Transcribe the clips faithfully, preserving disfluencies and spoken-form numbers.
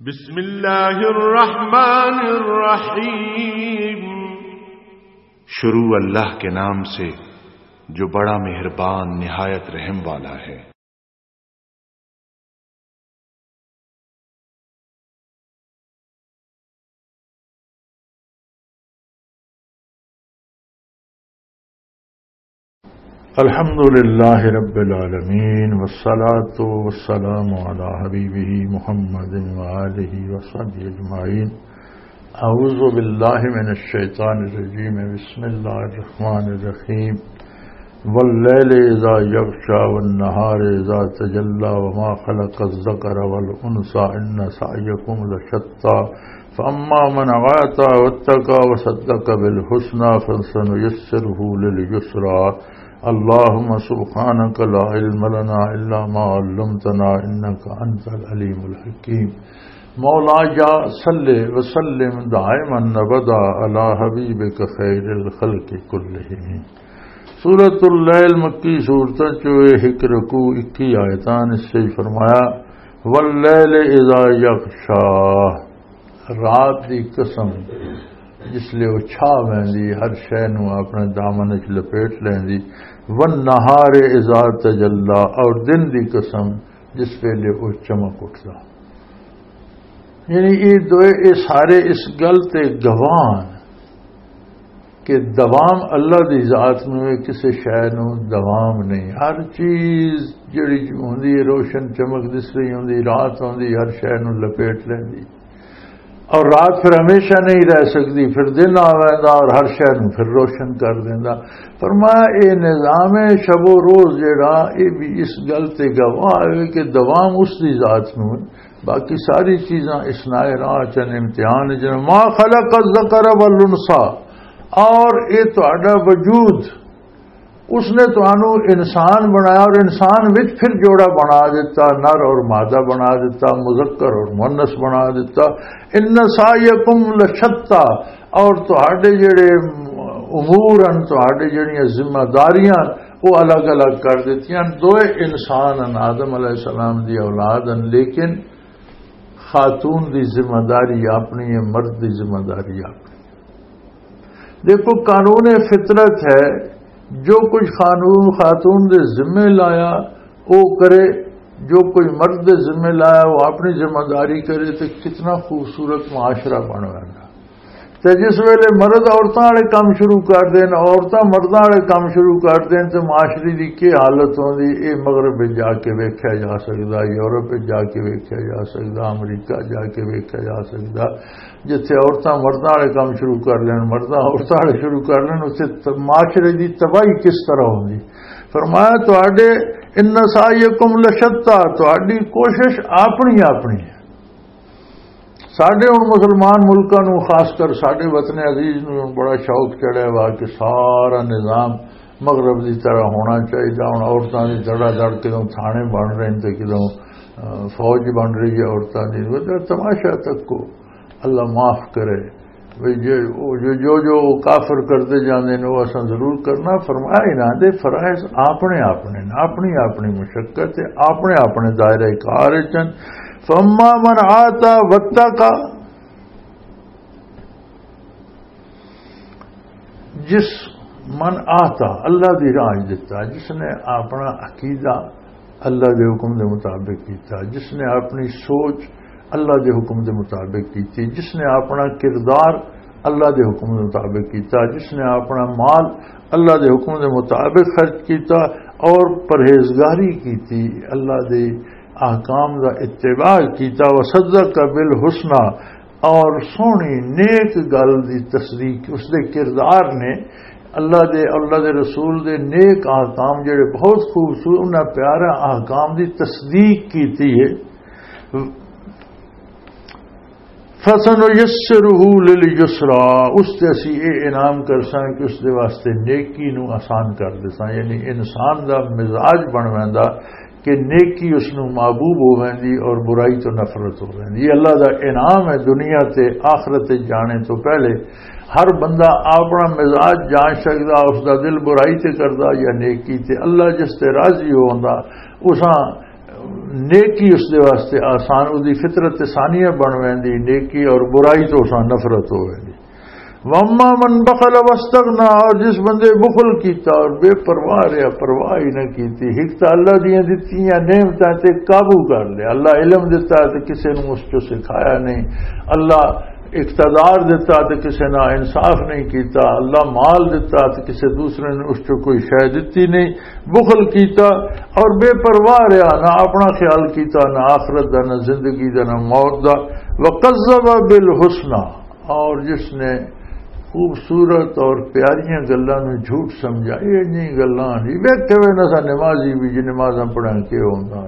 بسم اللہ الرحمن الرحیم۔ شروع اللہ کے نام سے، جو بڑا مہربان، نہایت رحم والا ہے۔ الحمد لله رب العالمين، والصلاة والسلام على حبيبه محمد وآله وصحبه أجمعين. أعوذ بالله من الشيطان الرجيم. بسم الله الرحمن الرحيم. والليل إذا يغشى والنهار إذا تجلى وما خلق الذكر والأنثى إن سعيكم لشتى فأما من أعطى واتقى وصدق بالحسنى فسنيسره لليسرى. اللهم سبحانك لا علم لنا إلا ما علمتنا إنك أنت العليم الحكيم. مولا یا صلی وسلم دائما ابدا علی حبیبک خیر الخلق کلہم۔ سورۃ اللیل مکی سورتاں چوں ایک رکوع، اکی آیتاں، اس سے فرمایا، "واللیل اذا یغشا"، رات دی قسم، جس لے او چھا ویندی، ہر شے نوں اپنے دامن وچ لپیٹ لیندی، "والنہار اذا تجلا"، اور دن دی قسم، جس ویلے او چمک اٹھدا۔ یعنی یہ دوئے، یہ سارے اس گل تے گواہ ہن کہ دوام اللہ دی ذات نوں ہے، کسے شے نوں دوام نہیں۔ ہر چیز جڑی ہوندی ہے، روشن چمک دس رہی ہوندی، رات ہوندی، ہر شے نوں لپیٹ لیندی۔ اور رات پھر ہمیشہ نہیں رہ سکتی، پھر دن آ ویندا اور ہر شے نوں پھر روشن کر دیندا۔ فرمایا، اے نظام شب و روز جڑا، اے بھی اس گل تے گواہ ہے کہ دوام اس دی ذات نوں ہے۔ باقی ساری چیزاں اثناء راہ چن، امتحان چن۔ ما خلق الذکر والانثی، اور اے تہاڈا وجود، اس نے تانوں انسان بنایا اور انسان وچ پھر جوڑا بنا دیتا، نر اور مادہ بنا دیتا، مذکر اور مؤنث بنا دیتا۔ ان سعیکم لشتی، اور تہاڈے جڑے امور ہیں، تہاڈے جڑیاں ذمہ داریاں، وہ الگ الگ کر دتیاں۔ دوئے انسان ہیں، آدم علیہ السلام دی اولاد ہیں، لیکن خاتون دی ذمہ داری اپنی ہے، مرد دی ذمہ داری اپنی۔ دیکھو، قانون فطرت ہے، جو کچھ قانون خاتون دے ذمے لایا، وہ کرے، جو کوئی مرد دے ذمے لایا، وہ اپنی ذمہ داری کرے، تو کتنا خوبصورت معاشرہ بن رہا۔ تے جس ویلے مرد عورتاں والے کم شروع کر دین، عورتاں مرداں والے کم شروع کر دین، تے معاشرے دی کی حالت ہوندی، اے مغرب وچ جا کے ویکھیا جا سکدا، یورپ وچ جا کے ویکھیا جا سکدا، امریکہ جا کے ویکھیا جا سکدا، جتھے عورتاں مرداں والے کم شروع کر لین، مرداں عورتاں والے شروع کر لین، اتھے ت-، معاشرے دی تباہی کس طرح ہوندی۔ فرمایا، تہاڈے ان سعیکم لشتی، تہاڈی کوشش اپنی اپنی ہے۔ ساڈے ہن مسلمان ملکاں نوں، خاص کر ساڈے وطن عزیز نوں ہن بڑا شوق چڑھیا ہوا کہ سارا نظام مغرب دی طرح ہونا چاہیے۔ ہن عورتاں دی دھڑا دھڑ، کدوں تھانے بن رہے ہیں تے کدوں، آ، فوج بن رہی ہے عورتاں دی۔ مطلب، تماشا تک کو اللہ معاف کرے۔ بھئی جے او جو، جو، جو کافر کردے جاندے نے، وہ اساں ضرور کرنا۔ فرمایا، انہاں دے فرائض اپنے اپنے نے، اپنی اپنی مشقت ہے، اپنے اپنے دائرہ کار وچ ہن۔ فَأَمَّا مَنْ أَعْطَى وَاتَّقَى، جس من آتا، اللہ دی راہ دتا، جس نے اپنا عقیدہ اللہ دے حکم دے مطابق کیتا، جس نے اپنی سوچ اللہ دے حکم دے مطابق کیتی، جس نے اپنا کردار اللہ دے حکم دے مطابق کیتا، جس نے اپنا مال اللہ دے حکم دے مطابق خرچ کیتا اور پرہیزگاری کیتی، اللہ دے احکام دا اتباع کیتا، وصدق بالحسنی، اور سوہنی نیک گل دی تصدیق، اس دے کردار نے اللہ دے، اللہ دے رسول دے نیک احکام جڑے بہت خوبصورت، انہاں پیارے احکام دی تصدیق کیتی ہے۔ فَسَنُيَسِّرُهُ لِلْيُسْرَى، اس تے اسی اے انعام کرساں کہ اس دے واسطے نیکی نو آسان کر دیساں، یعنی انسان دا مزاج بن ویندا کہ نیکی اس نو محبوب ہو ویندی اور برائی تو نفرت ہو ویندی۔ یہ اللہ دا انعام ہے، دنیا تے آخرت تے جانے تو پہلے ہر بندہ اپنا مزاج جان سکدا، اس دا دل برائی تے کردا یا نیکی تے۔ اللہ جس تے راضی ہوندا، اساں نیکی اس دے واسطے آسان، اس دی فطرت تے ثانیہ بن ویندی، نیکی اور برائی تو اساں نفرت ہو ویندی۔ واما من بخل واستغنا، اور جس بندے بخل کیتا اور بے پرواہ رہیا، پرواہ ہی نہ کیتی، ایک تاں اللہ دیاں دتیاں نعمتاں تے قابو کر لیا، اللہ علم دتا تے کسے نوں اس چوں سکھایا نہیں، اللہ اقتدار دتا تے کسے نال انصاف نہیں کیتا، اللہ مال دتا تے کسے دوسرے نے اس چوں کوئی شے دتی نہیں، بخل کیتا اور بے پرواہ رہیا، نہ اپنا خیال کیتا، نہ آخرت دا، نہ زندگی دا، نہ موت دا۔ وکذب بالحسنی، اور جس نے خوبصورت اور پیاریاں گلاں نوں جھوٹ سمجھا، یہ جی گلاں جی ویکھے وے نہ سا نمازی بھی جی نمازاں پڑھن کے ہوندا،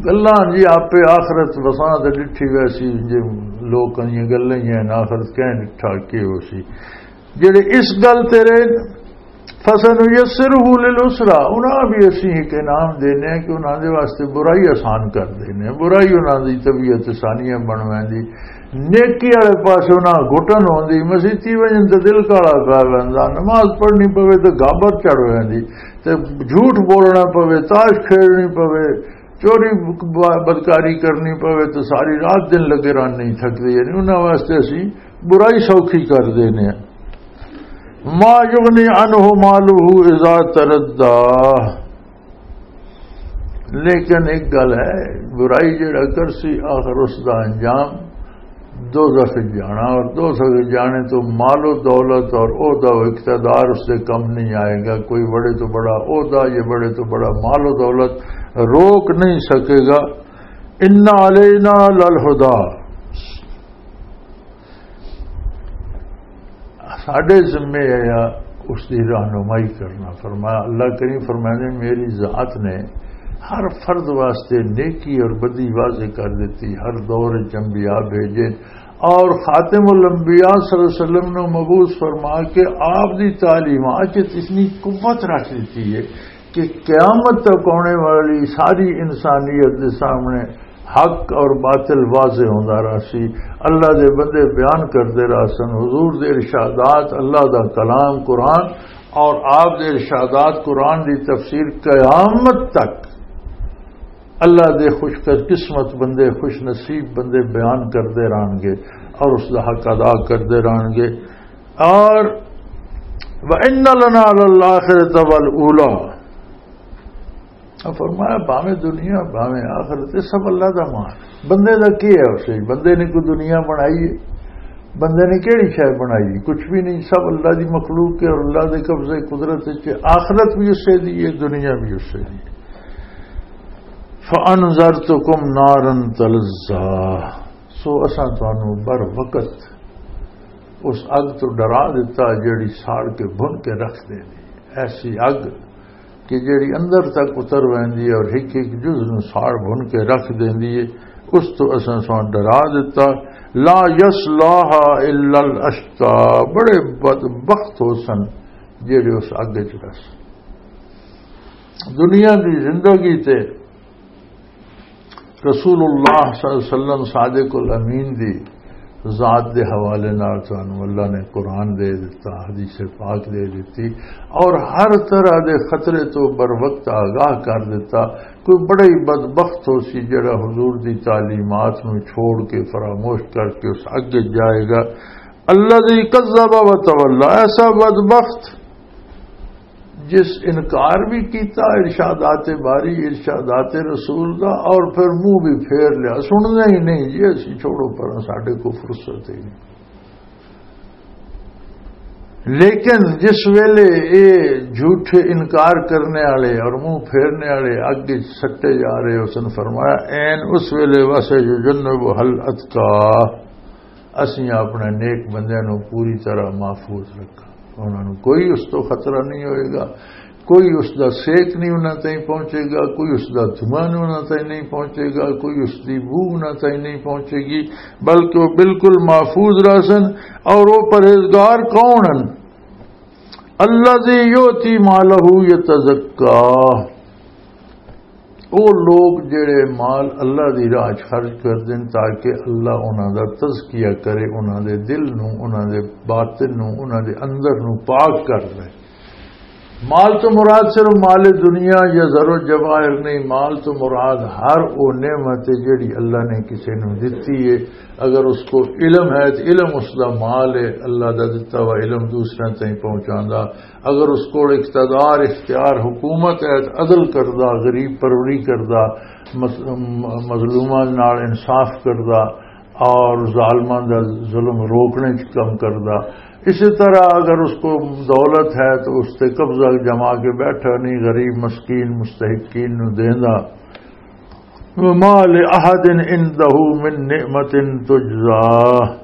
گلاں جی آپے آخرت وساں تے ڈٹھی ویسی، جے لوکاں دیاں گلاں ہی ہیں، آخرت کہیں ڈٹھا کے ہو سی۔ جڑے اس گل تے رہے، فَسَنُيَسِّرُهُ لِلْيُسْرَىٰ، انہاں بھی اسی ایک انعام دینے ہیں کہ انہاں دے واسطے برائی آسان کر دینے ہیں، برائی انہاں دی طبیعت ثانیہ بن ویندی، نیکی والے پاسے انہاں گھٹن ہوندی، مسیتی وجن تے دل کالا پیا ویندا، نماز پڑھنی پوے تے گابر چڑھ ویندی، تے جھوٹ بولنا پوے، تاش کھیڈنی پوے، چوری ب-، بدکاری کرنی پوے تے ساری رات دن لگے رہن نہیں تھکدے، یعنی انہاں واسطے اسی برائی سوکھی کر دینے ہیں۔ ما یغنی عنہ مالہ اذا تردی، لیکن ایک گل ہے، برائی جڑا کرسی آخر اس دا انجام دوزخ وچ جانا، اور دوزخ وچ جانے تو مال و دولت اور عہدہ و اقتدار اس سے کم نہیں آئے گا۔ کوئی بڑے تو بڑا عہدہ، یہ بڑے تو بڑا مال و دولت روک نہیں سکے گا۔ ان علینا للہدی، ساڈے ذمے ہے اس دی رہنمائی کرنا۔ فرمایا، اللہ کریم فرمایا نے، میری ذات نے ہر فرد واسطے نیکی اور بدی واضح کر دیتی، ہر دور وچ انبیاء بھیجے، اور خاتم الانبیاء صلی اللہ علیہ وسلم نے مبعوث فرما کے آپ دی تعلیمات وچ اتنی قوت رکھ دیتی ہے کہ قیامت تک آنے والی ساری انسانیت دے سامنے حق اور باطل واضح ہوندا رہسی۔ اللہ دے بندے بیان کردے رہسن، حضور دے ارشادات، اللہ دا کلام قرآن اور آپ دے ارشادات قرآن دی تفسیر قیامت تک اللہ دے خوش قسمت بندے، خوش نصیب بندے بیان کردے رہن گے اور اس دا حق ادا کردے رہن گے۔ اور وَإِنَّ لَنَا لَلْآخِرَةَ وَالْأُولَىٰ۔ اب فرمایا، بھاویں دنیا، بھاویں آخرت، یہ سب اللہ دا مال۔ بندے دا کی ہے اسے؟ بندے نے کوئی دنیا بنائی ہے؟ بندے نے کیڑی شے بنائی؟ کچھ بھی نہیں، سب اللہ دی مخلوق ہے اور اللہ دے قبضے قدرت وچ ہے۔ آخرت بھی اسے دی ہے، دنیا بھی اسے دی ہے۔ فَأَنذَرْتُكُمْ نَارًا تَلَظَّىٰ، سو اساں تانوں بر وقت اس اگ تو ڈرا دیتا جیڑی ساڑ کے بھن کے رکھ دیندی، ایسی اگ کہ جیڑی اندر تک اتر ویندی ہے اور ہک ہک جز نوں ساڑ بھن کے رکھ دیندی ہے، اس تو اساں ساں ڈرا دیتا۔ لا یصلاها الا الاشقی، بڑے بدبخت ہو سن جیڑے اس اگ وچ رس۔ دنیا دی زندگی تے رسول اللہ صلی اللہ علیہ وسلم صادق الامین دی ذات دے حوالے نال تانوں اللہ نے قرآن دے دتا، حدیث پاک دے دتی، اور ہر طرح دے خطرے تو بر وقت آگاہ کر دتا۔ کوئی بڑا ہی بدبخت ہو سی جڑا حضور دی تعلیمات نو چھوڑ کے، فراموش کر کے اس اگے جائے گا۔ الذی کذب و تولی، ایسا بدبخت جس انکار بھی کیتا ارشادات باری، ارشادات رسول دا، اور پھر منہ بھی پھیر لیا، سننا ہی نہیں جی، اسی چھوڑو پرا، ساڈے کو فرصت ہی نہیں۔ لیکن جس ویلے اے جھوٹے انکار کرنے والے اور منہ پھیرنے والے اگے سٹے جا رہے، اس نے فرمایا، این اس ویلے واسے یجنب حل اتقا، اسیں اپنے نیک بندیاں نوں پوری طرح محفوظ رکھا۔ انہاں نوں کوئی اس تو خطرہ نہیں ہوئے گا، کوئی اس دا سیک نہیں انہاں تائیں پہنچے گا، کوئی اس دا دھواں نہیں انہاں تائیں نہیں پہنچے گا، کوئی اس دی بو انہاں تائیں نہیں پہنچے گی، بلکہ وہ بالکل محفوظ رہسن۔ اور وہ پرہیزگار کون ہیں؟ الذی یؤتی مالہ یتزکی، او لوگ جڑے مال اللہ دی راہ چ خرچ کر دین تاکہ اللہ انہاں دا تزکیہ کرے، انہاں دے دل نو، انہاں دے باطن نو، انہاں دے اندر نو پاک کر لے۔ مال تو مراد صرف مال دنیا یا زر و جواہر نہیں، مال تو مراد ہر وہ نعمت ہے جڑی اللہ نے کسی نو دتی ہے۔ اگر اس کو علم ہے تو علم اس دا مال ہے، اللہ دا دتا ہوا علم دوسرے تائیں پہنچاندا۔ اگر اس کو اقتدار، اختیار، حکومت ہے تو عدل کردا، غریب پروری کردا، مظ-، مظلوماں نال انصاف کردا، اور ظالماں دا ظلم روکنے چ کم کردا۔ اسی طرح اگر اس کو دولت ہے تو اس تے قبضہ جما کے بیٹھا نہیں، غریب مسکین مستحقین نو دیندا۔ وما لأحد عنده من نعمة تجزى۔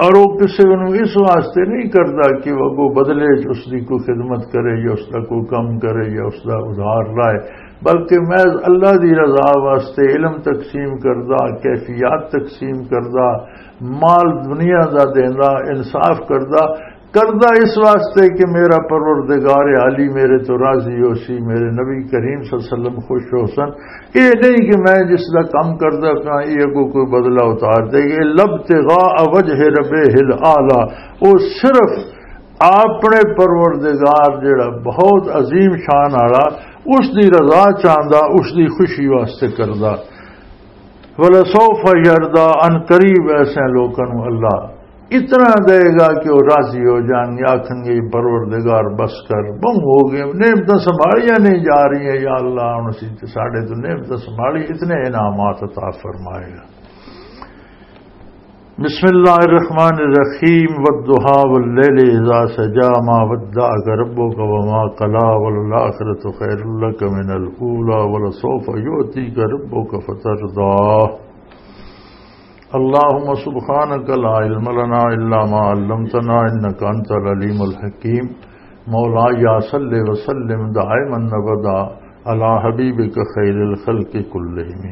اور وہ کسی نو اس واسطے نہیں کردا کہ وہ اگوں بدلے چ اس دی کوئی خدمت کرے یا اس دا کوئی کم کرے یا اس دا ادھار لائے، بلکہ محض اللہ دی رضا واسطے علم تقسیم کردا، کیفیات تقسیم کردا، مال دنیا دا دیندا، انصاف کردا، کردا اس واسطے کہ میرا پروردگار عالی میرے تو راضی ہو سی، میرے نبی کریم صلی اللہ علیہ وسلم خوش ہو سن۔ یہ نہیں کہ میں جس دا کم کردا پیا، یہ اگوں کوئی بدلہ اتار دے گے۔ لبتغاء وجہ ربہ الاعلی، وہ صرف اپنے پروردگار جڑا بہت عظیم شان والا، اس دی رضا چاہندا، اس دی خوشی واسطے کردا۔ ولسوف یرضی، ان قریب ایسے لوکاں نوں اللہ اتنا دے گا کہ وہ راضی ہو جان گے، آکھن گے، "پروردگار، بس کر، بہوں ہو گئے، نعمتاں سنبھالیاں نہیں جا رہی ہیں، یا اللہ، ہن اسی تے ساڈے تو نعمتاں سنبھالی، اتنے انعامات عطا فرمائے گا۔" بسم اللہ الرحمن الرحیم، والضحی واللیل اذا سجی، ما ودعک ربک وما قلی، وللآخرۃ خیر لک من الاولی، ولسوف یعطیک ربک فترضی۔ اللهم سبحانك لا علم لنا إلا ما علمتنا إنك أنت العليم الحكيم۔ مولاي صل وسلم دائما أبدا على حبيبك خير الخلق كلهم۔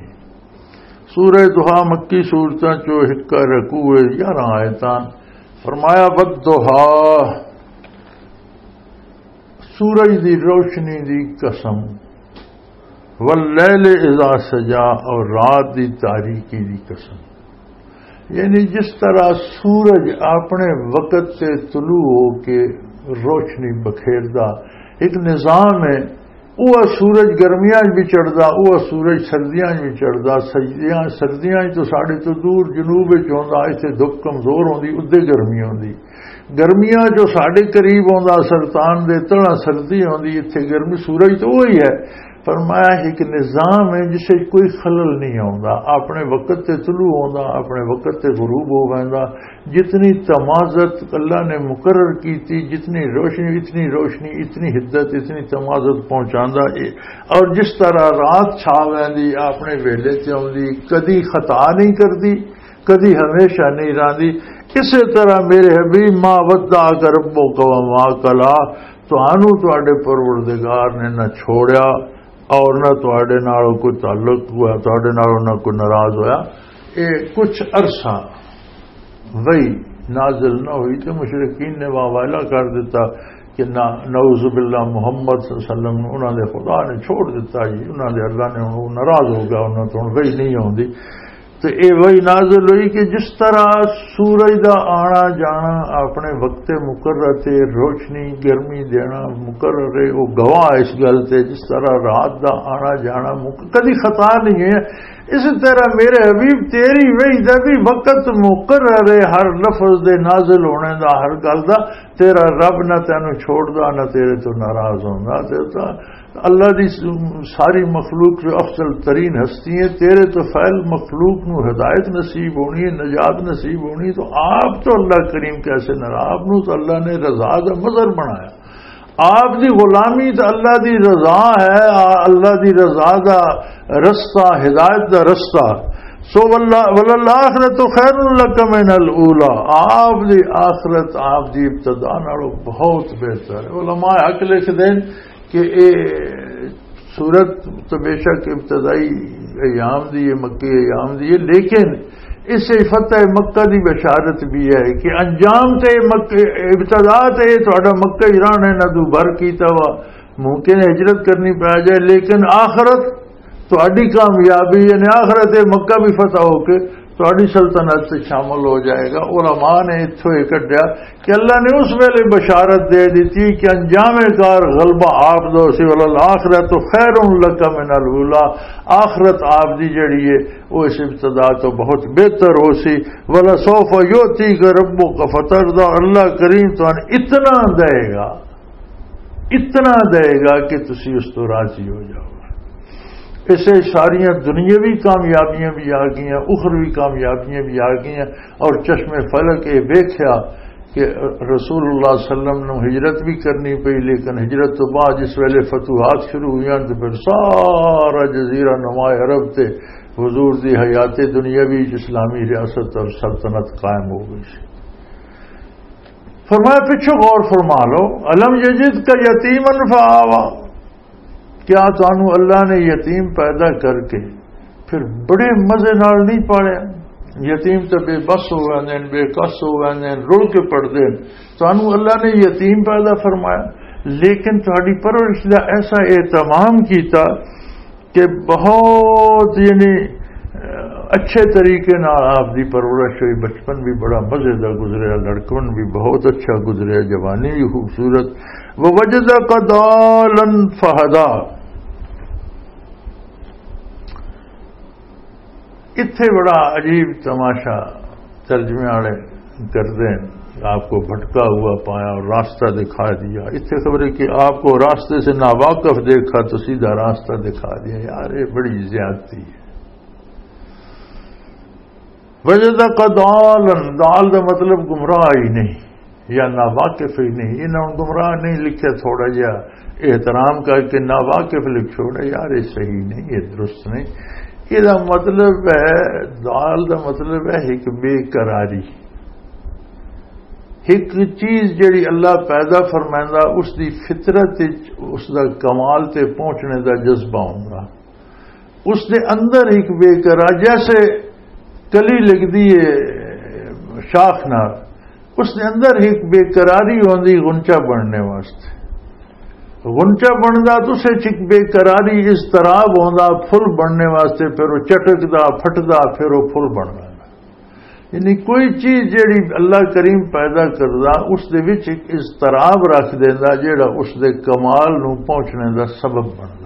سورہ ضحیٰ مکی سورتاں چو ہک رکوع، یارہ آیتاں۔ فرمایا، "والضحیٰ"، سورج دی روشنی دی قسم، "واللیل اذا سجا"، اور رات دی تاریکی دی قسم۔ یعنی جس طرح سورج اپنے وقت تے طلوع ہو کے روشنی بکھیردا ایک نظام ہے، وہ سورج گرمیاں وچ بھی چڑھدا، وہ سورج سردیاں وچ بھی چڑھدا۔ سجدیاں، سردیاں وچ تو ساڈے تو دور جنوب وچ ہوندا، ایتھے دھپ کمزور ہوندی، ادے گرمی ہوندی۔ گرمیاں جو ساڈے قریب ہوندا، سرطان دے تڑا سردی ہوندی، ایتھے گرمی، سورج تو وہی ہے۔ فرمایا ایک نظام ہے جس وچ کوئی خلل نہیں ہوندا، اپنے وقت تے طلوع ہوندا، اپنے وقت تے غروب ہو ویندا۔ جتنی تمازت اللہ نے مقرر کی تھی، جتنی روشنی، اتنی روشنی، اتنی حدت، اتنی تمازت پہنچاندا اے۔ اور جس طرح رات چھا ویندی، اپنے ویلے تے آوندی، کدی خطا نہیں کردی، کدی ہمیشہ نہیں راندی۔ اسی طرح میرے حبیب، "ما ودعک ربک وما قلی"، تانوں تواڈے پروردگار نے نہ چھوڑیا اور نہ تواڈے نال کوئی تعلق ہوا، تواڈے نال نہ کوئی ناراض ہویا۔ اے کچھ عرصہ وحی نازل نہ ہوئی تے مشرکین نے واویلا کر دیتا کہ نہ، نعوذ باللہ، محمد صلی اللہ علیہ وسلم نوں انہاں دے خدا نے چھوڑ دیتا جی، انہاں دے اللہ نے ہن ناراض ہو گیا، انہاں تو ہن وحی نہیں ہوندی۔ تے اے وحی نازل ہوئی کہ جس طرح سورج دا آنا جانا اپنے وقت مقرر تے روشنی گرمی دینا مقرر ہے، وہ گواہ اس گل تے، جس طرح رات دا آنا جانا مق-، کدی خطا نہیں ہے، اسی طرح میرے حبیب تیری وحی دا بھی وقت مقرر ہے، ہر لفظ دے نازل ہونے دا، ہر گل دا۔ تیرا رب نہ تینوں چھوڑدا، نہ تیرے تو ناراض ہوندا۔ تے تاں اللہ دی س-، ساری مخلوق جو افضل ترین ہستی ہے، تیرے تو فعل مخلوق نو ہدایت نصیب ہونی ہے، نجات نصیب ہونی، تو آپ تو اللہ کریم کیسے ناراض؟ آپ نو تو اللہ نے رضا دا مظہر بنایا۔ آپ دی غلامی تے اللہ دی رضا ہے، آ-، اللہ دی رضا دا رستہ، ہدایت دا رستہ۔ سو واللہ، وللآخرۃ خیر لک من الاولی، آپ دی آخرت آپ دی ابتدا نالوں بہت بہتر ہے۔ علماء حق لکھ دین کہ اے سورت تو بے شک ابتدائی ایام دی ہے، مکی ایام دی ہے، لیکن اس سے فتح مکہ دی بشارت بھی ہے کہ انجام تے مکہ، ابتدا تے تہاڈا مکہ ہی رہنا ہے، نہ دوبر کیتا وا، ممکن ہے ہجرت کرنی پی جائے، لیکن آخرت تہاڈی کامیابی، یعنی آخرت مکہ بھی فتح ہو کے تہاڈی سلطنت تے شامل ہو جائے گا۔ علماء نے اتھوں یہ کڈیا کہ اللہ نے اس ویلے بشارت دے دتی کہ انجام کار غلبہ آپ دا سی، "وللآخرۃ خیر لک من الاولیٰ"، آخرت آپ دی جڑی ہے، وہ اس ابتدا تو بہت بہتر ہو سی۔ "ولسوف یعطیک ربک فترضی"، اللہ کریم تو اتنا دے گا، اتنا دے گا کہ تسی اس تو راضی ہو جاؤ۔ اسے ساریاں دنیاوی کامیابیاں بھی آ گئیاں، اخروی کامیابیاں بھی آ گئیاں۔ اور چشم فلک یہ ویکھیا کہ رسول اللہ صلی اللہ علیہ وسلم نو ہجرت بھی کرنی پئی، لیکن ہجرت تو بعد جس ویلے فتوحات شروع ہوئیاں تو پھر سارا جزیرہ نما عرب تے حضور دی حیات دنیاوی اسلامی ریاست اور سلطنت قائم ہو گئی سی۔ فرمایا، پچھو غور فرما لو، "الم یجدک یتیما فآویٰ"، کیا تانوں اللہ نے یتیم پیدا کر کے پھر بڑے مزے نال نہیں پالیا؟ یتیم تے بے بس ہو گئے نے، بے کس ہو گئے نے، رل کے پڑدے نے۔ تانوں اللہ نے یتیم پیدا فرمایا، لیکن تہاڈی پرورش دا ایسا اہتمام کیتا کہ بہت، یعنی، اچھے طریقے نال آپ دی پرورش ہوئی۔ بچپن بھی بڑا مزے دا گزریا، لڑکپن بھی بہت اچھا گزریا، جوانی بھی خوبصورت۔ "ووجدک ضالا فہدیٰ"، اتھے بڑا عجیب تماشا ترجمے والے کردے ہیں، "آپ کو بھٹکا ہوا پایا اور راستہ دکھا دیا"۔ اتھے خبر ہے کہ آپ کو راستے سے ناواقف دیکھا تو سیدھا راستہ دکھا دیا۔ یار، یہ بڑی زیادتی ہے۔ "وجدک ضالا"، ضال دا مطلب گمراہ ہی نہیں یا ناواقف ہی نہیں۔ انہاں نوں گمراہ نہیں لکھیا، تھوڑا جہا احترام کر کے ناواقف لکھ چھوڑا۔ یار، یہ صحیح نہیں، یہ درست نہیں۔ یہ دا مطلب ہے، ضال دا مطلب ہے ایک بے قراری۔ ایک چیز جڑی اللہ پیدا فرمائندا، اس دی فطرت وچ اس دا کمال تے پہنچنے دا جذبہ ہوندا۔ اس دے اندر ایک بے قرار، جیسے کلی لگدی ہے شاخ نال، اس دے اندر ایک بے قراری ہوندی غنچہ بننے واسطے۔ غنچہ بندا تو اس وچ ایک بے قراری، اضطراب ہوندا پھل بننے واسطے، پھر وہ چٹکدا، پھٹدا، پھر وہ پھل بندا۔ یعنی کوئی چیز جیڑی اللہ کریم پیدا کردا، اس دے وچ ایک اضطراب رکھ دیندا، جیڑا اس دے کمال نو پہنچنے دا سبب بندا۔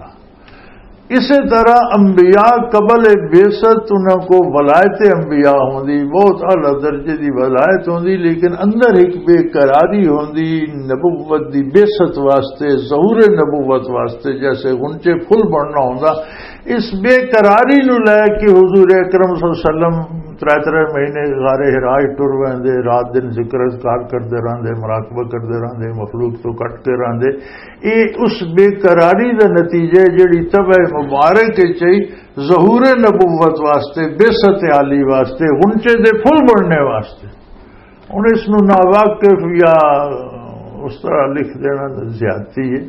اسی طرح انبیاء قبل بعثت انہاں کو ولایت انبیاء ہوندی، بہت اعلیٰ درجے دی ولایت ہوندی، لیکن اندر ایک بے قراری ہوندی نبوت دی بعثت واسطے، ظہور نبوت واسطے، جیسے غنچے پھل بننا ہوندا۔ اس بے قراری نو لے کے حضور اکرم صلی اللہ علیہ وسلم ترے ترے مہینے غار حرا وچ ٹر ویندے، رات دن ذکر اذکار کردے رہندے، مراقبہ کردے رہندے، مخلوق تو کٹ کے رہندے۔ اے اس بے قراری دا نتیجہ ہے، جڑی طبع مبارک وچ آئی ظہور نبوت واسطے، بعثت عالی واسطے، غنچے دے پھل بننے واسطے۔ ہن اس نو ناواقف یا اس طرح لکھ دینا زیادتی ہے۔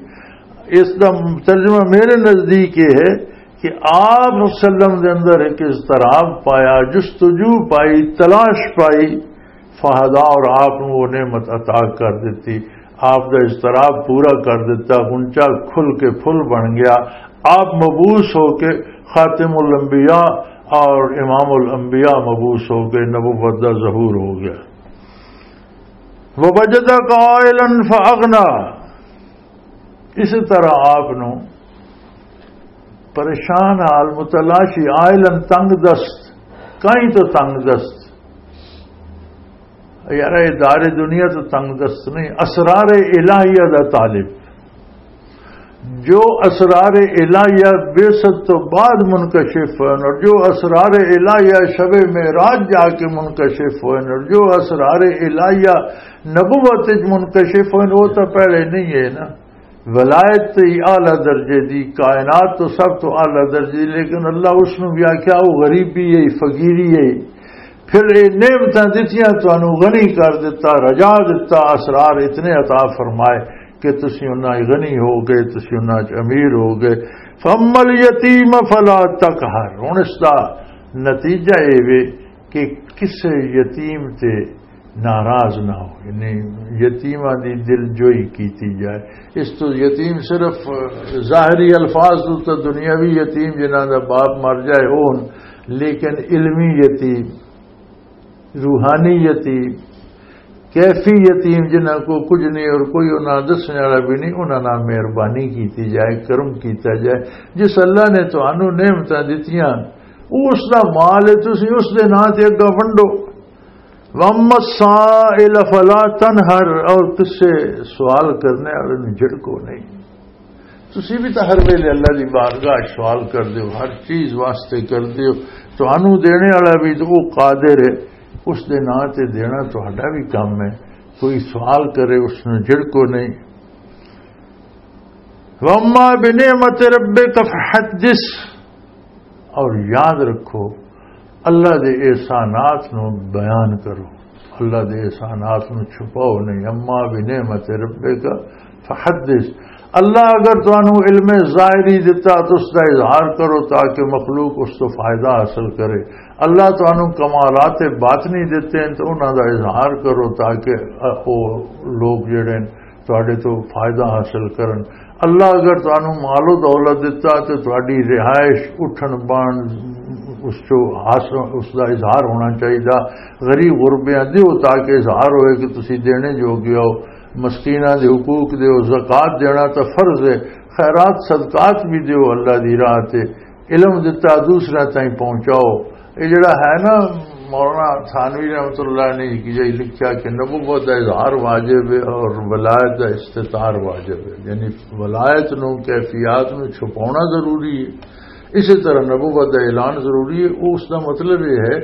اس دا ترجمہ میرے نزدیک یہ ہے کہ آپ وسلم دے اندر ایک اضطراب پایا، جستجو پائی، تلاش پائی، فہدا، اور آپ نو وہ نعمت عطا کر دیتی۔ آپ دا اضطراب پورا کر دیتا، غنچہ کھل کے پھل بن گیا۔ آپ مبعوث ہو کے خاتم الانبیاء اور امام الانبیاء مبعوث ہو کے نبوت دا ظہور ہو گیا۔ ووجدک عائلا فاغنا، اسی طرح آپ نو پریشان حال، متلاشی، عائلا، تنگ دست، کہیں تو تنگ دست۔ یار، یہ دار دنیا تو تنگ دست نہیں، اسرار الہیہ دا طالب۔ جو اسرار الہیہ بعثت تو بعد منکشف ہوئے اور جو اسرار الہیہ شب معراج جا کے منکشف ہوئے اور جو اسرار الہیہ نبوت وچ منکشف ہوئے، وہ تو پہلے نہیں ہے نا۔ ولایت تے ہی اعلیٰ درجے دی، کائنات تو سب تو اعلیٰ درجے دی، لیکن اللہ اس نو بھی آکھیا، "او غریبی ہے، فقیری ہے۔" پھر اے نعمتاں دتیاں، تانوں غنی کر دتا، رجا دتا، اسرار اتنے عطا فرمائے کہ تسی انہاں چ غنی ہو گئے، تسی انہاں چ امیر ہو گئے۔ "فاما الیتیم فلا تقہر۔" ہن اس دا نتیجہ اے وے کہ کسے یتیم تے ناراض نہ ہو، یعنی یتیماں دی دل جوئی کیتی جائے۔ اس تو یتیم صرف ظاہری الفاظ تو، تو دنیاوی یتیم جنہاں دا باپ مر جائے، او ہن، لیکن علمی یتیم، روحانی یتیم، کیفی یتیم، جنہاں کو کچھ نہیں اور کوئی انہاں دسنے والا بھی نہیں، انہاں نال مہربانی کیتی جائے، کرم کیتا جائے۔ جس اللہ نے تانوں نعمتاں دتیاں، او اس دا مال ہے، تسی اس دے ناں تے اگا ونڈو۔ واما السائل فلا تنہر، اور تسے سوال کرنے والے نوں جھڑکو نہیں۔ تسی بھی تو ہر ویلے اللہ دی بارگاہ وچ سوال کر دیو، ہر چیز واسطے کر دیو۔ تانوں دینے والا بھی تو وہ قادر ہے، اس دے ناں تے دینا تہاڈا بھی کم ہے۔ کوئی سوال کرے، اس نوں جھڑکو نہیں۔ واما بنعمت ربک فحدث، اور یاد رکھو، اللہ دے احسانات نو بیان کرو، اللہ دے احسانات نو چھپاؤ نہیں۔ اما بنعمت ربک فحدث، اللہ اگر تانوں علم ظاہری دتا تو اس دا اظہار کرو تاکہ مخلوق اس تو فائدہ حاصل کرے۔ اللہ تانوں کمالات باطنی دتے ہیں تو انہاں دا اظہار کرو تاکہ او لوگ جڑے ہیں تہاڈے تو فائدہ حاصل کرن۔ اللہ اگر تانوں مال و دولت دتا تے تہاڈی رہائش، اٹھن بان، اس چو حاصل، اس دا اظہار ہونا چاہیدا۔ غریب غربیاں دیو تاکہ اظہار ہوئے کہ تسی دینے جو گیا ہو۔ مسکیناں دے حقوق دیو، زکوٰۃ دینا تے فرض ہے۔ خیرات صدقات بھی دیو اللہ دی راہ تے۔ علم دتا دوسرے تائیں پہنچاؤ۔ یہ جڑا ہے نا، مولانا تھانوی رحمۃ اللہ نے ایک جگہ لکھا کہ نبوت دا اظہار واجب ہے اور ولایت دا استتار واجب ہے، یعنی ولایت نو، کیفیات نو چھپانا ضروری ہے۔ اسی طرح نبوت دا اعلان ضروری ہے۔ اس دا مطلب یہ ہے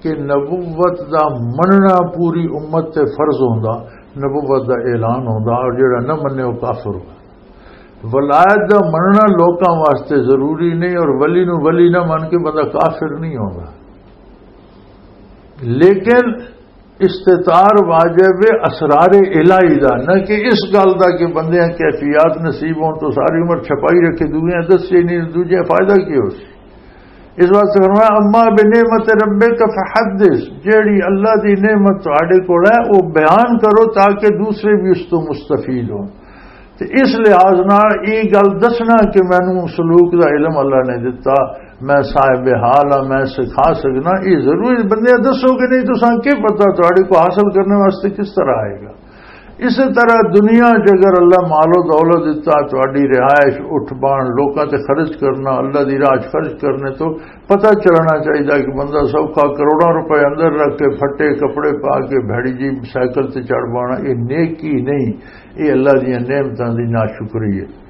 کہ نبوت دا مننا پوری امت تے فرض ہوندا، نبوت دا اعلان ہوندا، اور جڑا نہ منے وہ کافر ہوندا۔ ولایت دا مننا لوکاں واسطے ضروری نہیں، اور ولی نو ولی نہ من کے بندہ کافر نہیں ہوندا۔ لیکن استتار واجب ہے اسرار الہی دا، نہ کہ اس گل دا کہ بندیاں کیفیات نصیب ہون تو ساری عمر چھپائی رکھے، دوجیاں دسے نہیں، دوجیاں فائدہ کی ہو سی؟ اس واسطے فرمایا، "اما بنعمت ربک فحدث"، جیڑی اللہ دی نعمت تہاڈے کول ہے، وہ بیان کرو تاکہ دوسرے بھی اس تو مستفید ہون۔ تے اس لحاظ نال یہ گل دسنا کہ مینوں سلوک دا علم اللہ نے دتا، میں صاحب حال ہاں، میں سکھا سکنا، یہ ضروری۔ بندے دسو کہ نہیں، تساں کی پتہ تہاڈے کو حاصل کرنے واسطے کس طرح آئے گا۔ اسی طرح دنیا چ اگر اللہ مال و دولت دتا، تہاڈی رہائش، اٹھ بان، لوکاں تے خرچ کرنا، اللہ دی راہ چ خرچ کرنے تو پتہ چلنا چاہیے کہ بندہ سوکھا کروڑاں روپے اندر رکھ کے، پھٹے کپڑے پا کے، بھڑی جی سائیکل تے چڑھ بانا، یہ نیکی نہیں، یہ اللہ دیاں نعمتاں دی ناشکری ہے۔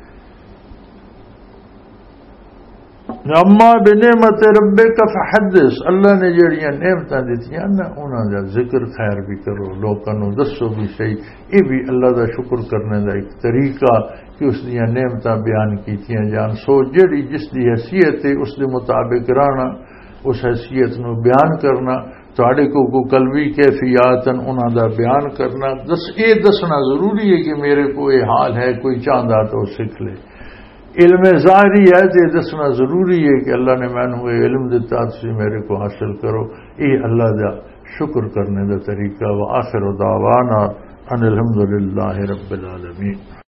اما بنعمت ربک فحدث، اللہ نے جڑیاں نعمتاں دتیاں نا، انہاں دا ذکر خیر بھی کرو، لوکاں نوں دسو بھی صحیح۔ یہ بھی اللہ دا شکر کرنے دا ایک طریقہ کہ اس دیاں نعمتاں بیان کیتیاں جان۔ سو جڑی جس دی حیثیت ہے، اس دے مطابق رہنا، اس حیثیت نو بیان کرنا، تہاڈے کو کوئی قلبی کیفیات ہیں، انہاں دا بیان کرنا، دس، یہ دسنا ضروری ہے کہ میرے کو یہ حال ہے، کوئی چاہندا تو سکھ لے۔ علم ظاہری ہے تے دسنا ضروری ہے کہ اللہ نے مینوں یہ علم دتا، تسی میرے کو حاصل کرو۔ یہ اللہ دا شکر کرنے دا طریقہ۔ وآخر دعوانا ان الحمدللہ رب العالمین۔